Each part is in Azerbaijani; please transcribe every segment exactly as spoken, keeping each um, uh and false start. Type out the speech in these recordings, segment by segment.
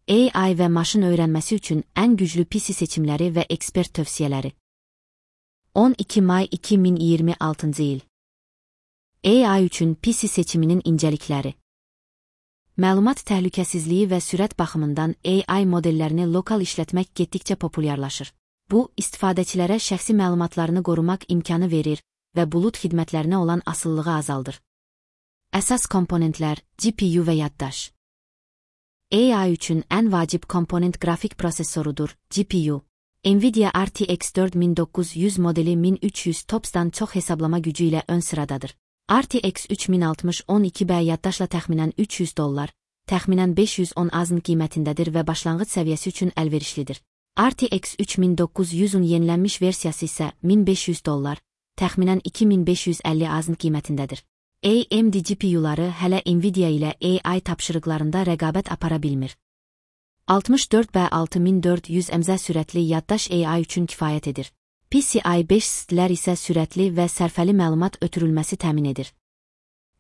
A I və maşın öyrənməsi üçün ən güclü P C seçimləri və ekspert tövsiyələri. on iki may iki min iyirmi altıncı il. A I üçün P C seçiminin incəlikləri. Məlumat təhlükəsizliyi və sürət baxımından A I modellərini lokal işlətmək getdikcə populyarlaşır. Bu, istifadəçilərə şəxsi məlumatlarını qorumaq imkanı verir və bulut xidmətlərinə olan asılılığı azaldır. Əsas komponentlər, G P U və yaddaş. A I üçün ən vacib komponent qrafik prosesorudur, G P U. Nvidia R T X dörd min doqquz yüz modeli min üç yüz TOPS-dan çox hesablama gücü ilə ön sıradadır. R T X üç min altmış on iki B yaddaşla təxminən üç yüz dollar, təxminən beş yüz on azın qiymətindədir və başlanğıc səviyyəsi üçün əlverişlidir. R T X üç min doqquz yüzün yenilənmiş versiyası isə min beş yüz dollar, təxminən iki min beş yüz əlli azın qiymətindədir. A M D G P U-ları hələ Nvidia ilə A I tapşırıqlarında rəqabət apara bilmir. altmış dörd B altı min dörd yüz M Z sürətli yaddaş A I üçün kifayət edir. P C I beş S-lər isə sürətli və sərfəli məlumat ötürülməsi təmin edir.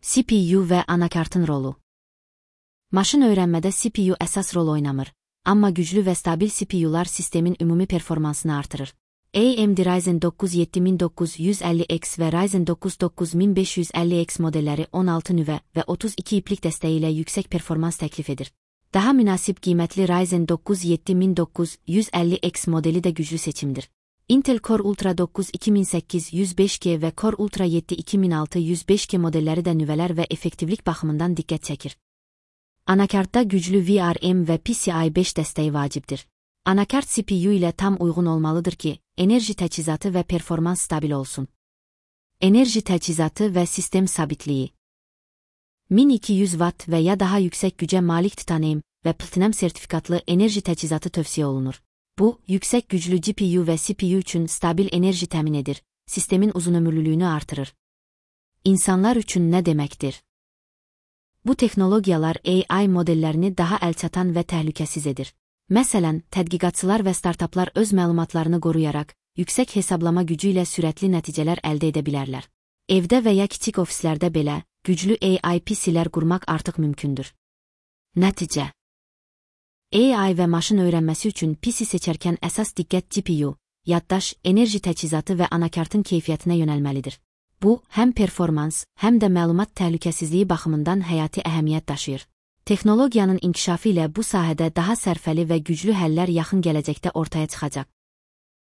C P U və anakartın rolu. Maşın öyrənmədə C P U əsas rol oynamır, amma güclü və stabil C P U-lar sistemin ümumi performansını artırır. A M D Ryzen dokuz yeddi min doqquz yüz əlli X və Ryzen dokuz doqquz min beş yüz əlli X modelləri on altı nüvə və otuz iki iplik dəstəyi ilə yüksək performans təklif edir. Daha münasib qiymətli Ryzen dokuz yeddi min doqquz yüz əlli X modeli də güclü seçimdir. Intel Core Ultra dokuz iki min səkkiz yüz beş G və Core Ultra yeddi iki min altı yüz beş G modelləri də nüvələr və effektivlik baxımından diqqət çəkir. Anakartda güclü V R M və P C I beş dəstəyi vacibdir. Anakart C P U ilə tam uyğun olmalıdır ki, enerji təchizatı və performans stabil olsun. Enerji təchizatı və sistem sabitliyi. min iki yüz watt və ya daha yüksək gücə malik titanium və platinum sertifikatlı enerji təchizatı tövsiyə olunur. Bu, yüksək güclü G P U və C P U üçün stabil enerji təmin edir, sistemin uzunömürlülüyünü artırır. İnsanlar üçün nə deməkdir? Bu texnologiyalar A I modellərini daha əlçatan və təhlükəsiz edir. Məsələn, tədqiqatçılar və startaplar öz məlumatlarını qoruyaraq, yüksək hesablama gücü ilə sürətli nəticələr əldə edə bilərlər. Evdə və ya kiçik ofislərdə belə, güclü A I P C-lər qurmaq artıq mümkündür. Nəticə. A I və maşın öyrənməsi üçün P C seçərkən əsas diqqət G P U, yaddaş, enerji təchizatı və anakartın keyfiyyətinə yönəlməlidir. Bu, həm performans, həm də məlumat təhlükəsizliyi baxımından həyati əhəmiyyət daşıyır. Texnologiyanın inkişafı ilə bu sahədə daha sərfəli və güclü həllər yaxın gələcəkdə ortaya çıxacaq.